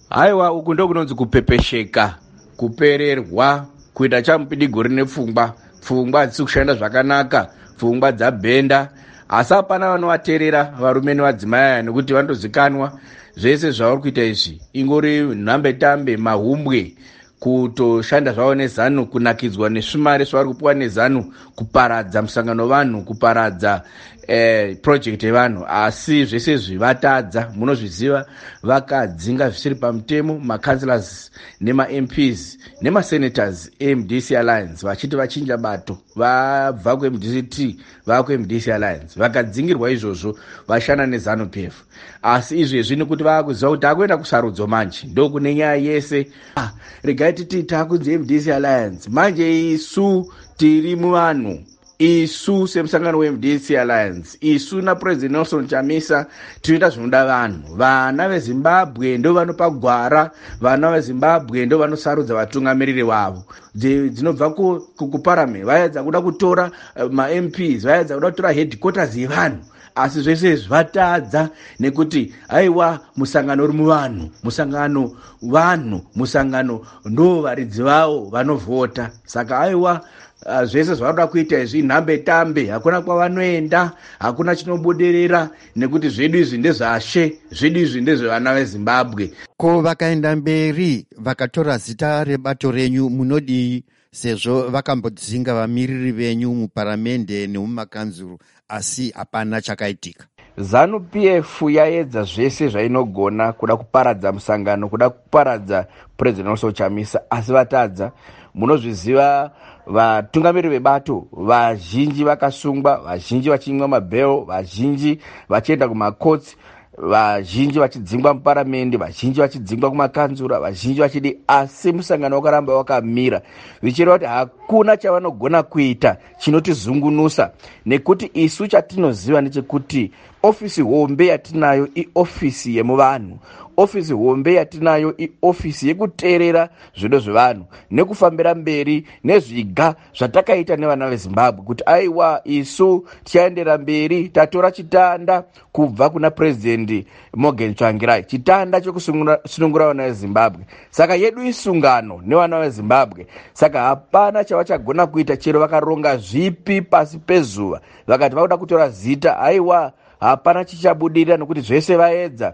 Haiwa, uku ndokunonzi kupepesheka, kupererwa, kuita chamupidigori nepfungwa. Pfungwa hadzisi kushanda zvakanaka, pfungwa dzabhenda, asi hapana vanovateerera varume nevadzimai aya, nekuti vanotozikanwa zvese zvavari kuita izvi ingori nhambetambe, mahumbwe, kutoshanda zvavo neZANU, kunakidzwa nesvimari zvavari kupiwa neZANU, kuparadza musangano wevanhu, kuparadza project yevanhu. Asi zvese izvi vatadza, munozviziva, vakadzinga zvisiri pamutemo macouncillors nemaMPs nemasenators eMDC Alliance, vachiti vachinja bato, vabva kuMDCT vava kuMDC Alliance. Vakadzingirwa izvozvo, vashanda neZANU PF. Asi izvezvi nekuti vava kuziva kuti takuenda kusarudzo manje, ndokune nyaya yese. Ah, regai titi takunzi MDC Alliance manje. Isu tiri muvanhu, isu semusangano weMDC Alliance, isu naPresident Nelson Chamisa tinoita zvinoda vanhu. Vana veZimbabwe ndo vanopa gwara, vana veZimbabwe ndo vanosarudza vatungamiriri vavo. Dzinobva kuparame, vaedza kuda kutora maMPs, vaedza kuda kutora headquarters yevanhu, asi zvese izvi vatadza, nekuti aiwa, musangano uri muvanhu, musangano vanhu, musangano ndo varidzi vavo vanovhota. Saka aiwa, zvese zvavanoda kuita izvi nhambe tambe, hakuna kwavanoenda, hakuna chinobudirira, nekuti zvedu izvi ndezvashe, zvedu izvi ndezvevana veZimbabwe. Ko vakaenda mberi vakatora zita rebato renyu, munodii, sezvo vakambodzinga vamiriri venyu muparamende nemumakanzuru, asi hapana chakaitika? ZANU PF yaedza zvese zvainogona kuda kuparadza musangano, kuda kuparadza President Nelson Chamisa, asi vatadza. Munozviziva, vatungamiriri vebato vazhinji vakasungwa, vazhinji vachimwa mabhero, vazhinji vachienda kumakotsi, vazhinji vachidzingwa muparamende, vazhinji vachidzingwa kumakanzura, vazhinji vachidi, asi musangano wakaramba wakamira, zvichireva kuti hakuna chavanogona kuita chinotizungunusa, nekuti isu chatinoziva ndechekuti ofisi hombe yatinayo iofisi yemuvanhu. Ofisi hombe yatinayo iofisi yekuteerera zvido zvevanhu nekufambira mberi nezviga zvatakaita nevana veZimbabwe, kuti aiwa, isu tichaendera mberi. Tatora chitanda kubva kuna Purezidendi Morgan Tsvangirai, chitanda chekusunungura vana veZimbabwe. Saka yedu isungano nevana veZimbabwe. Saka hapana chavachagona kuita, chero vakaronga zvipi pasi pezuva, vakati vakuda kutora zita, aiwa, hapana chichabudirira, nokuti zvese vaedza.